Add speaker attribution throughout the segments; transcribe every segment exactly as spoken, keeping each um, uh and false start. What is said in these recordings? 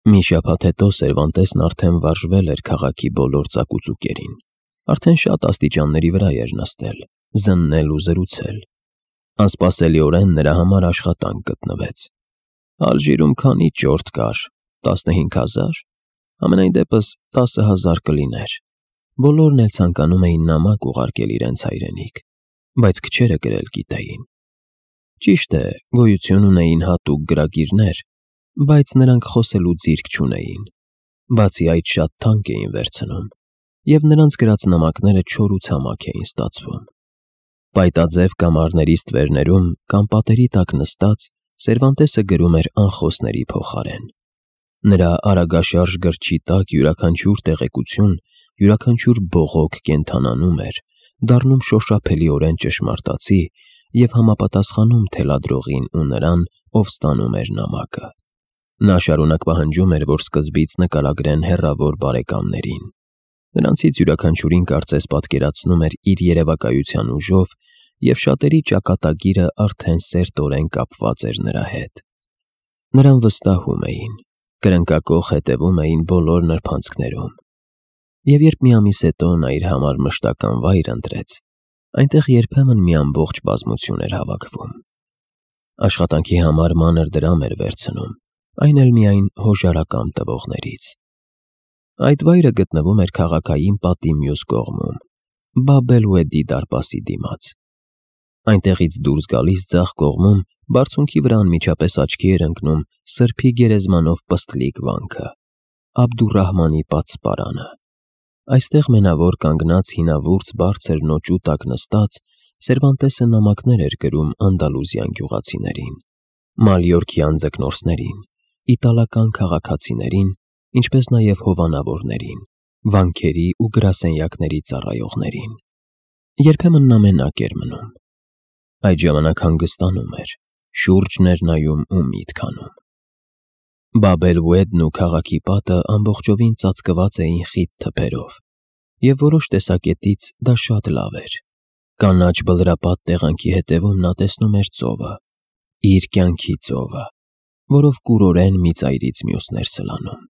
Speaker 1: Մի շաբաթ հետո Սերվանտեսն արդեն վարժվել էր քաղաքի բոլոր ծակուծուկերին, արդեն շատ աստիճանների վրա էր նստել, զննել ու զրուցել։ Անսպասելիորեն նրա համար աշխատանք գտնվեց։ Ալժիրում քանի ճորտ կար, տասնհինգ հազար, համենայն դեպս տասը հազար կլիներ։ Բոլորն էլ ցանկանում էին նամակ ուղարկել իրենց հայրենիք, բայց քչերը գրել գիտեին։ Ճիշտ է, գոյություն ունեին հատուկ գրագիրներ, բայց նրանք խոսելու ձիրք չունեին, բացի այդ շատ թանկ էին վերցնում, և նրանց գրած նամակները չոր ու ցամաք էին ստացվում։ Պայտաձև կամարների ստվերներում կամ պատերի տակ նստած Սերվանտեսը գրում էր անխոսների փոխարեն։ Նրա արագաշարժ գրչի տակ յուրաքանչյուր տեղեկություն, յուրաքանչյուր բողոք կենդանանում էր, դառնում շոշափելիորեն ճշմարտացի և համապատասխանում թելադրողին ու նրան, ով ստանում էր նամակը։ Նա շարունակ պահանջում էր, որ սկզբից նկարագրեն հեռավոր բարեկամներին։ Նրանցից յուրաքանչյուրին կարծես պատկերացնում էր իր երևակայության ուժով, և շատերի ճակատագիրը արդեն սերտորեն կապված էր նրա հետ։ Նրան վստահում էին, կրնկակոխ հետևում էին բոլոր նրբանցքներում։ Եվ երբ մի ամիս հետո նա իր համար մշտական վայր ընտրեց, այնտեղ երբեմն մի ամբողջ բազմություն էր հավաքվում։ Աշխատանքի համար մանր դրամ էր վերցնում, այն էլ միայն հոժարակամ տվողներից։ Այդ վայրը գտնվում էր քաղաքային պատի մյուս կողմում, Բաբ-էլ-Ուեդի դարպասի դիմաց։ Այնտեղից դուրս գալիս ձախ կողմում բարձունքի վրա անմիջապես աչքի էր ընկնում սրբի գերեզմանով պստլիկ վանքը, Աբդուռահմանի պատսպարանը։ Այստեղ մենավոր կանգնած հինավուրց բարձր նոճու տակ նստած Սերվանտեսը նամակներ էր գրում անդալուզյան գյուղացիներին, մալյորքյան ձկնորսներին, իտալական քաղաքացիներին, ինչպես նաև հովանավորներին, վանքերի ու գրասենյակների ծառայողներին։ Երբեմն նա մենակ էր մնում։ Այդ ժամանակ հանգստանում էր, շուրջն էր նայում ու միտք անում։ Բաբ-էլ-Ուեդն ու քաղաքի պատը ամբողջովին ծածկված էին խիտ թփերով, և որոշ տեսակետից դա շատ լավ էր։ Կանաչ բլրապատ տեղանքի հետևում նա տեսնում էր ծովը, իր կյանքի ծովը, որով կուրորեն մի ծայրից մյուսներ սլանում։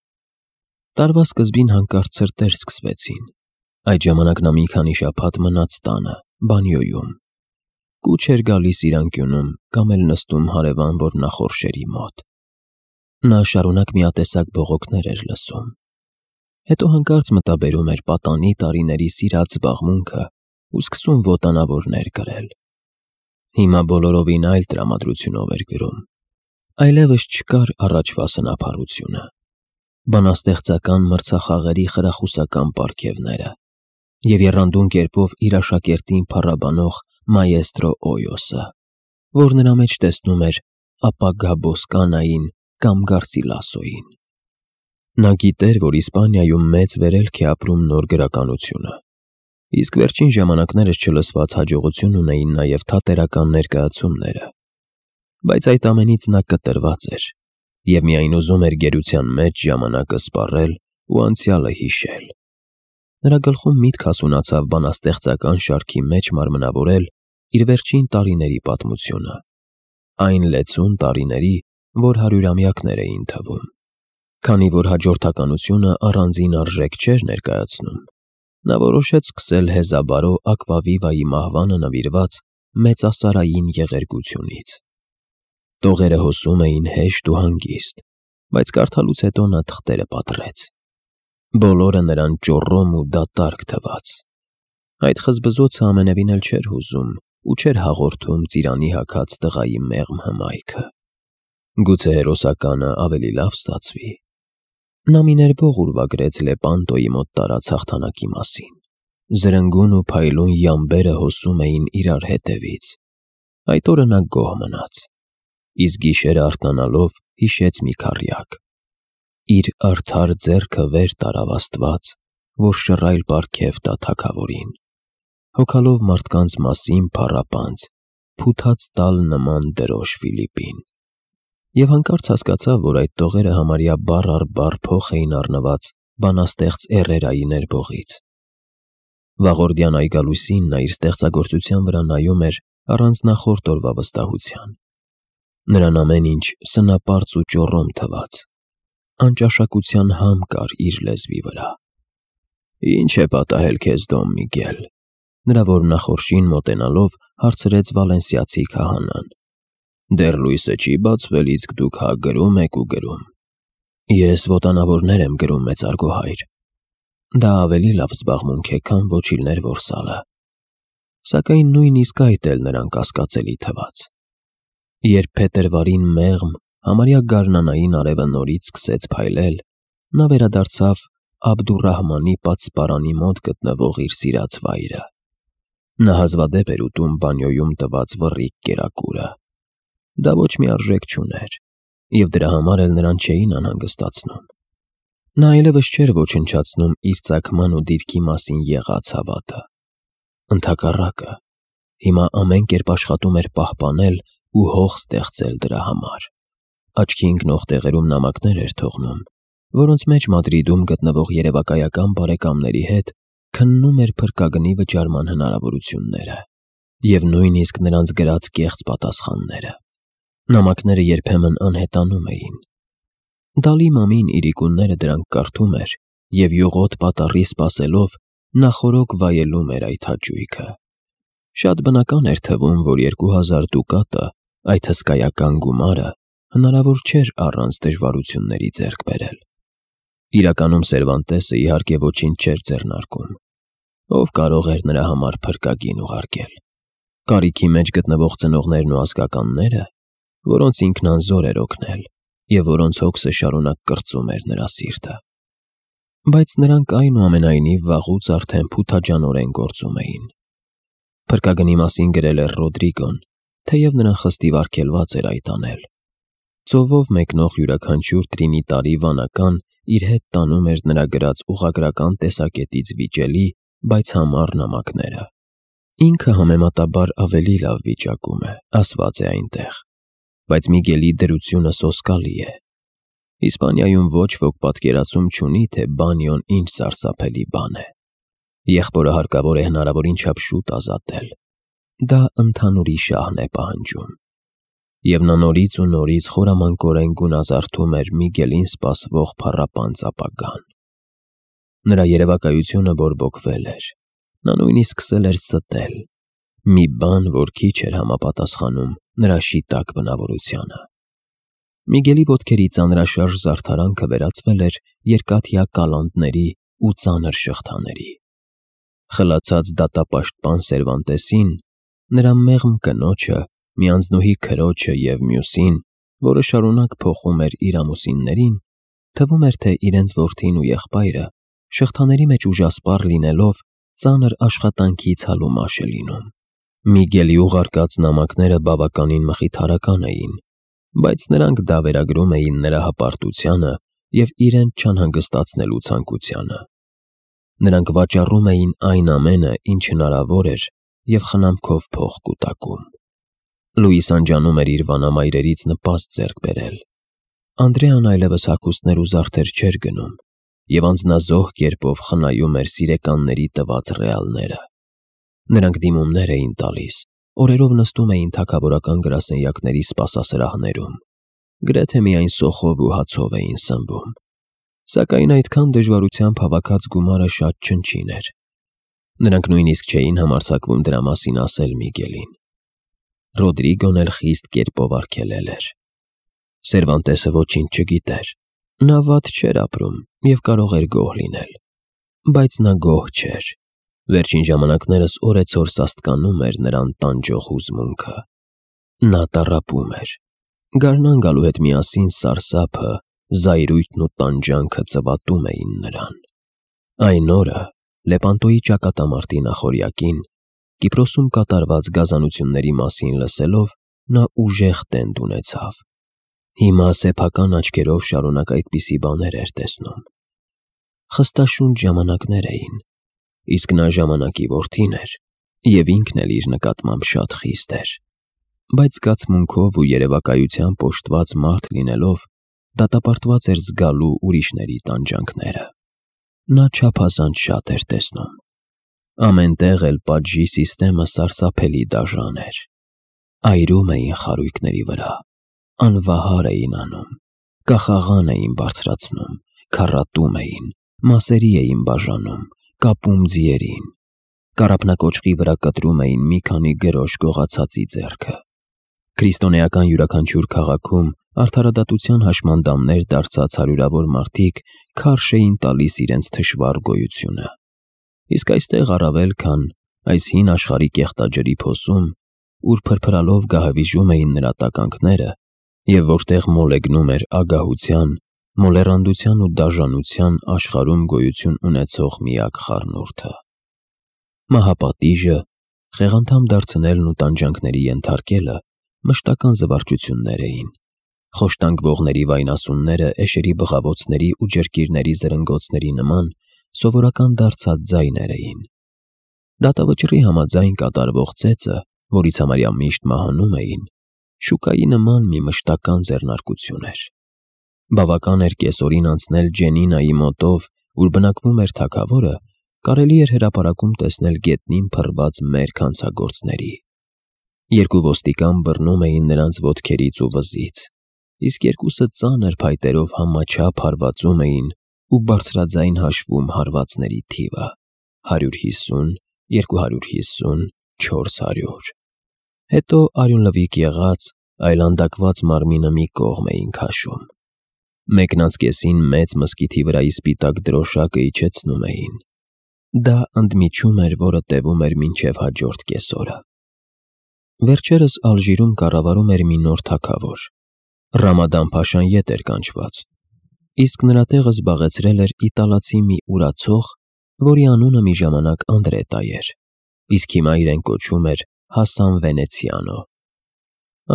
Speaker 1: Տարվա սկզբին հանկարծ ցրտեր սկսվեցին։ Այդ ժամանակ նա մի քանի շաբաթ մնաց տանը, բանյոյում։ Կուչ էր գալիս իր անկյունում կամ էլ նստում հարևան ոռնախորշերի մոտ։ Նա շարունակ միատեսակ բողոքներ էր լսում։ Հետո հանկարծ մտաբերում էր պատանի տարիների սիրած զբաղմունքը ու սկսում ոտանավորներ գրել։ Հիմա բոլորովին այլ տրամադրությունով էր գրում։ Այլևս չկար առաջվա սնափառությունը, բանաստեղծական մրցախաղերի խրախուսական պարգևները և եռանդուն կերպով իր աշակերտին փառաբանող մայեստրո Օյոսը, որ նրա մեջ տեսնում էր ապագա Բոսկանային կամ Գարսիլասոյին։ Նա գիտեր, որ Իսպանիայում մեծ վերելք է ապրում նոր գրականությունը, իսկ վերջին ժամանակներս չլսված հաջողություն ունեին նաև թատերական ներկայացումները, բայց այդ ամենից նա կտրված էր և միայն ուզում էր գերության մեջ ժամանակը սպառել ու անցյալը հիշել։ Նրա գլխում միտք հասունացավ բանաստեղծական շարքի մեջ մարմնավորել իր վերջին տարիների պատմությունը, այն լեցուն տարիների, որ հարյուրամյակներ էին թվում։ Քանի որ հաջորդականությունը առանձին արժեք չէր ներկայացնում, նա որոշեց սկսել Հեզաբարո Ակվավիվայի մահվանը նվիրված մեծասարային եղերգությունից։ Տողերը հոսում էին հեշտ ու հանգիստ, բայց կարդալուց հետո նա թղթերը պատռեց։ Բոլորը նրան ճոռոմ ու դատարկ թվաց։ Այդ խզբզոցը ամենևին էլ չէր հուզում ու չէր հաղորդում ծիրանի հագած տղայի մեղմ հմայքը։ Գուցե հերոսականը ավելի լավ ստացվի։ Նա մի ներբող ուրվագրեց Լեպանտոյի մոտ տարած հաղթանակի մասին։ Զրնգուն ու փայլուն յամբերը հոսում էին իրար հետևից։ Այդ օրը նա գոհ մնաց, իսկ գիշերը արթնանալով հիշեց մի քառյակ։ Իր արդար ձեռքը վեր տարավ Աստված, որ շռայլ պարգև տա թագավորին, հոգալով մարդկանց մասին փառապանծ, փութած տալ նման դրոշ Ֆիլիպին։ Եվ հանկարծ հասկացավ, որ այդ տողերը համարյա բառ առ բառ փոխ էին առնված բանաստեղծ Էրերայի ներբողից։ Վաղորդյան այգալույսին նա իր ստեղծագործության վրա նայում էր առանց նախորդ օրվա վստահության։ Նրան ամեն ինչ սնապարծ ու ճոռոմ թվաց։ անճաշակության համ կար իր լեզվի վրա։ Ինչ է պատահել քեզ, Դոն Միգել, նրա որմնախորշին մոտենալով հարցրեց վալենսիացի քահանան։ Դեռ լույսը չի բացվել, իսկ դուք հա գրում եք ու գրում։ Ես ոտանավորներ եմ գրում, մեծարգո հայր։ Դա ավելի լավ զբաղմունք է, քան ոչիլներ որսալը։ Սակայն նույնիսկ այդ էլ նրան կասկածելի թվաց։ Երբ փետրվարին մեղմ, համարյա գարնանային արևը նորից սկսեց փայլել, նա վերադարձավ Աբդուրռահմանի պատսպարանի մոտ գտնվող իր սիրած վայրը։ Նա հազվադեպ էր ուտում բանյոյում տված վռիկ կերակուրը։ Դա ոչ մի արժեք չուներ, և դրա համար էլ նրան չէին անհանգստացնում։ Նա այլևս չէր ոչնչացնում իր ծագման ու դիրքի մասին եղած հավատը։ Ընդհակառակը, հիմա ամեն կերպ աշխատում էր պահպանել ու հող ստեղծել դրա համար։ Աչքի ընկնող տեղերում նամակներ էր թողնում, որոնց մեջ Մադրիդում գտնվող երևակայական բարեկամների հետ քննում էր փրկագնի վճարման հնարավորությունները և նույնիսկ նրանց գրած կեղծ պատասխանները։ Նամակները երբեմն անհետանում էին։ Դալի Մամին իրիկունները դրանք կարդում էր և յուղոտ պատառի սպասելով նախօրոք վայելում էր այդ հաճույքը։ Շատ բնական էր թվում, որ երկու հազար դուկատը, այդ հսկայական գումարը, հնարավոր չէր առանց դժվարությունների ձեռք բերել։ Իրականում Սերվանտեսը իհարկե ոչինչ չէր ձեռնարկում։ Ով կարող էր նրա համար փրկագին ուղարկել։ Կարիքի մեջ գտնվող ծնողներն ու ազգականները, որոնց ինքն անզոր էր օգնել և որոնց հոգսը շարունակ կրծում էր նրա սիրտը։ Բայց նրանք այնուամենայնիվ վաղուց արդեն փութաջանորեն գործում էին։ Փրկագնի մասին գրել էր Ռոդրիգոն, թեև նրան խստիվ արգելված էր այդ անել։ Ծովով մեկնող յուրաքանչյուր տրինիտարի վանական իր հետ տանում էր նրա գրած ուղղագրական տեսակետից վիճելի, բայց համառ նամակները։ Ինքը համեմատաբար ավելի լավ վիճակում է, ասված է այնտեղ, բայց Միգելի դրությունը սոսկալի է։ Իսպանիայում ոչ ոք պատկերացում չունի, թե բանյոն ինչ սարսափելի բան է։ Եղբորը հարկավոր է հնարավորին չափ շուտ ազատել։ Դա ընդհանուրի շահն է պահանջում։ Եվ նա նորից ու նորից խորամանկորեն գունազարդում էր Միգելին սպասվող փառապանծ ապագան։ Նրա երևակայությունը բորբոքվել էր։ Նա նույնիսկ սկսել էր ստել։ Մի բան, որ քիչ էր համապատասխանում նրա շիտակ բնավորությանը։ Միգելի ոտքերի ծանրաշարժ զարդարանքը վերածվել էր երկաթյա կալանտների ու ծանր շղթաների։ Խլացած դատապաշտպան Սերվանտեսին, նրա մեղմ կնոջը, մի անձնուհի քրոջը և մյուսին, որը շարունակ փոխում էր իր ամուսիններին, թվում էր, թե իրենց որդին ու եղբայրը շղթաների մեջ ուժասպառ լինելով ծանր աշխատանքից հալումաշ է լինում։ Միգելի ուղարկած նամակները բավականին մխիթարական էին, բայց նրանք դա վերագրում էին նրա հպարտությանը և իրենց չանհանգստացնելու ցանկությանը։ Նրանք վաճառում էին այն ամենը, ինչ հնարավոր էր և խնամքով փող կուտակում։ Լուիս անջանում էր իր վանամայրերից նպաստ ձեռք բերել։ Անդրեան այլևս հագուստներ ու զարդեր չէր գնում և անձնազոհ կերպով խնայում էր սիրեկանների տված ռեալները։ Նրանք դիմումներ էին տալիս, օրերով նստում էին թագավորական գրասենյակների սպասասրահներում, գրեթե միայն սոխով ու հացով էին սնվում։ Սակայն այդքան դժվարությամբ հավաքած գումարը շատ չնչին էր։ Նրանք նույնիսկ չէին համարձակվում դրա մասին ասել Միգելին։ Ռոդրիգոն էլ խիստ կերպով արգելել էր։ Սերվանտեսը ոչինչ չգիտեր։ Նա վատ չէր ապրում և կարող էր գոհ լինել։ Բայց նա գոհ չէր։ Վերջին ժամանակներս օրեցօր սաստկանում էր նրան տանջող հուզմունքը։ Նա տառապում էր։ Գարնան գալու հետ միասին սարսափը, զայրույթն ու տանջանքը ծվատում էին նրան։ Այն օրը, Լեպանտոյի ճակատամարտի նախօրյակին, Կիպրոսում կատարված գազանությունների մասին լսելով, նա ուժեղ տենդ ունեցավ։ Հիմա սեփական աչքերով շարունակ այդպիսի բաներ էր տեսնում։ Խստաշունչ ժամանակներ էին, իսկ նա ժամանակի որդին էր և ինքն էլ իր նկատմամբ շատ խիստ էր։ Բայց զգացմունքով ու երևակայությամբ օժտված մարդ լինելով, դատապարտված էր զգալու ուրիշների տանջանքները։ Նա չափազանց շատ էր տեսնում։ Ամեն տեղ էլ պատժի սիստեմը սարսափելի դաժան էր։ Այրում էին խարույկների վրա, անվահար էին անում, կախաղան էին բարձրացնում, քառատում էին, մասերի էին բաժանում, կապում ձիերին, կարապնակոճղի վրա կտրում էին մի քանի գրոշ գողացածի ձեռքը։ Քրիստոնեական յուրաքանչյուր քաղաքում արդարադատության հաշմանդամներ դարձած հարյուրավոր մարդիկ քարշ էին տալիս իրենց թշվառ գոյությունը։ Իսկ այստեղ առավել քան այս հին աշխարհի կեղտաջրի փոսում, ուր փրփրալով գահավիժում էին նրա տականքները, և որտեղ մոլեգնում էր ագահության, մոլեռանդության ու դաժանության աշխարհում գոյություն ունեցող միակ խառնուրդը։ Մահապատիժը, խեղանդամ դարձնելն ու տանջանքների ենթարկելը մշտական զվարճություններ էին։ Խոշտանգվողների վայնասունները էշերի բղավոցների ու ջրկիրների զրնգոցների նման սովորական դարձած ձայներ էին։ Դատավճռի համաձայն կատարվող ծեծը, որից համարյա միշտ մահանում էին, շուկայի նման մի մշտական ձեռնարկություն էր։ Բավական էր կեսօրին անցնել Ջենինայի մոտով, ուր բնակվում էր թագավորը, կարելի էր հրապարակում տեսնել գետնին փռված մերկ հանցագործների։ Երկու ոստիկան բռնում էին նրանց ոտքերից ու վզից, իսկ երկուսը ծանր փայտերով համաչափ հարվածում էին ու բարձրաձայն հաշվում հարվածների թիվը՝ հարյուր հիսուն, երկու հարյուր հիսուն, չորս հարյուր։ Հետո արյունլվիկ եղած, այլանդակված մարմինը մի կողմ էին քաշում։ Մեկնածկեսին մեծ մզկիթի վրայի սպիտակ դրոշակը իջեցնում էին։ Դա ընդմիջում էր, որը տևում էր մինչև հաջորդ կեսօրը։ Վերջերս Ալժիրում կառավարում էր մի նոր թագավոր։ Ռամադան-փաշան ետ էր կանչված, իսկ նրա տեղը զբաղեցրել էր իտալացի մի ուրացող, որի անունը մի ժամանակ Անդրետա էր, իսկ հիմա իրեն կոչում էր Հասան Վենեցիանո։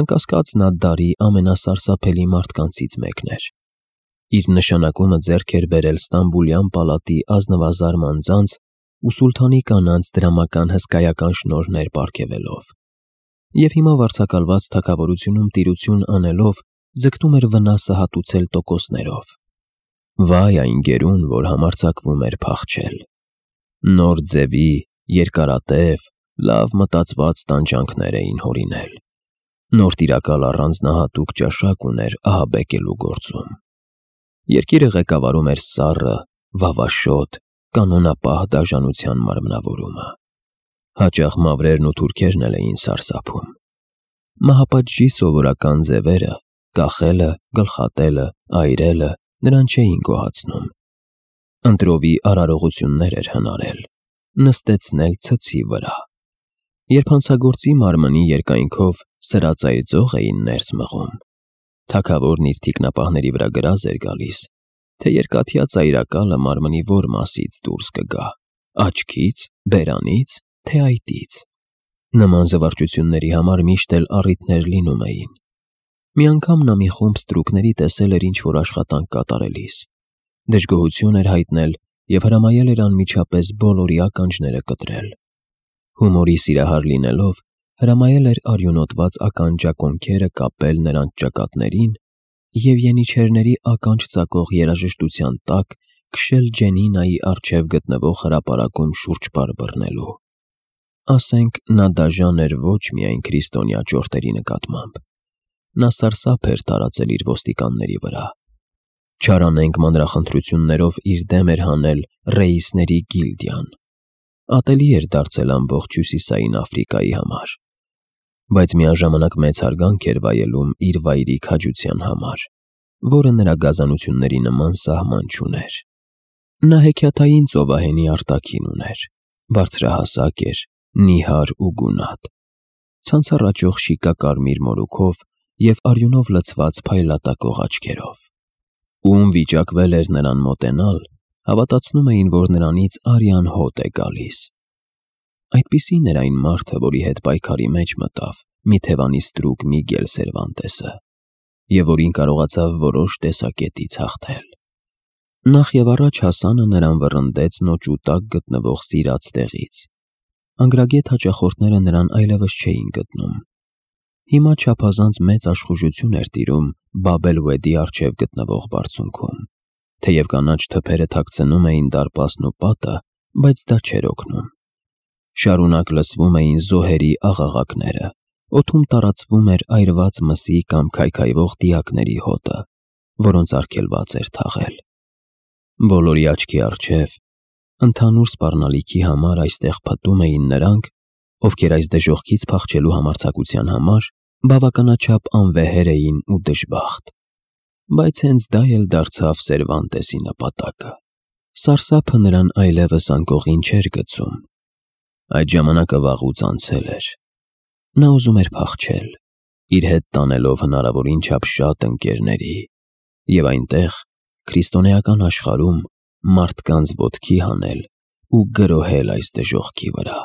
Speaker 1: Անկասկած նա դարի ամենասարսափելի մարդկանցից մեկն էր։ Իր նշանակումը ձեռք էր բերել Ստամբուլյան պալատի ազնվազարմ անձանց ու սուլթանի կանանց դրամական հսկայական շնորհներ պարգևելով, և հիմա վարձակալված թագավորությունում տիրություն անելով ձգտում էր վնասը հատուցել տոկոսներով։ Վայ այն գերուն, որ համարձակվում էր փախչել։ Նոր ձևի, երկարատև, լավ մտածված տանջանքներ էին հորինել։ Նոր տիրակալ առանձնահատուկ ճաշակ ուներ ահաբեկելու գործում։ Երկիրը ղեկավարում էր սառը, վավաշոտ, կանոնապահ դաժանության մարմնավորումը։ Հաճախ մավրերն ու թուրքերն էլ էին սարսափում։ Մահապատժի սովորական ձևերը՝ կախելը, գլխատելը, այրելը նրան չէին գոհացնում։ Ընտրովի արարողություններ էր հնարել, նստեցնել ցցի վրա։ Երբ հանցագործի մարմնի երկայնքով սրածայր ձող էին ներս մղում, թագավորն իր թիկնապահների վրա գրազ էր գալիս, թե երկաթյա ծայրակալը մարմնի որ մասից դուրս կգա՝ աչքից, բերանից, թե այտից։ Նման զվարճությունների համար միշտ էլ առիթներ լինում էին։ Մի անգամ նա մի խումբ ստրուկների տեսել էր ինչ-որ աշխատանք կատարելիս, դժգոհություն էր հայտնել և հրամայել էր անմիջապես բոլորի ականջները կտրել։ Հումորի սիրահար լինելով, հրամայել էր արյունոտված ականջակոնքերը կապել նրանց ճակատներին և յենիչերների ականջ ծակող երաժշտության տակ քշել Ջենինայի առջև գտնվող հրապարակում շուրջպար բռնելու։ Ասենք, նա դաժան էր ոչ միայն քրիստոնյա ճորտերի նկատմամբ, նա սարսափ էր տարածել իր ոստիկանների վրա։ Չարանենգ մանրախնդրություններով իր դեմ էր հանել ռեիսների գիլդիան։ Ատելի էր դարձել ամբողջ Հյուսիսային Աֆրիկայի համար, բայց միաժամանակ մեծ հարգանք էր վայելում իր վայրի քաջության համար, որը նրա գազանությունների նման սահման չուներ։ Նա հեքիաթային ծովահենի արտաքին ուներ, բարձրահասակ էր, նիհար ու գունատ, ցանցառ աճող շիկակարմիր մորուքով և արյունով լցված փայլատակող աչքերով։ Ում վիճակվել էր նրան մոտենալ, հավատացնում էին, որ նրանից արյան հոտ է գալիս։ Այդպիսին էր այն մարդը, որի հետ պայքարի մեջ մտավ մի թևանի ստրուկ Միգել Սերվանտեսը, և որին կարողացավ որոշ տեսակետից հաղթել։ Նախ և առաջ Հասանը նրան վռնդեց նոճու տակ գտնվող սիրած տեղից։ Անգրագետ հաճախորդները նրան այլևս չէին գտնում։ Հիմա չափազանց մեծ աշխուժություն էր տիրում Բաբ-էլ-Վեդի առջև գտնվող բարձունքում, թեև կանաչ թփերը թաքցնում էին դարպասն ու պատը, բայց դա չէր օգնում։ Շարունակ լսվում էին զոհերի աղաղակները, օդում տարածվում էր այրված մսի կամ քայքայվող դիակների հոտը, որոնց արգելված էր թաղել։ Բոլորի աչքի առջև ընդհանուր սպառնալիքի համար այստեղ փտում էին նրանք, ովքեր այս դժոխքից փախչելու համարձակության համար բավականաչափ անվեհեր էին ու դժբախտ։ Բայց հենց դա էլ դարձավ Սերվանտեսի նպատակը։ Սարսափը նրան այլևս անկողին չէր գցում։ Այդ ժամանակը վաղուց անցել էր։ Նա ուզում էր փախչել, իր հետ տանելով հնարավորին չափ շատ ընկերների և այնտեղ, քրիստոնեական աշխարհում, մարդկանց ոտքի հանել ու գրոհել այս դժոխքի վրա։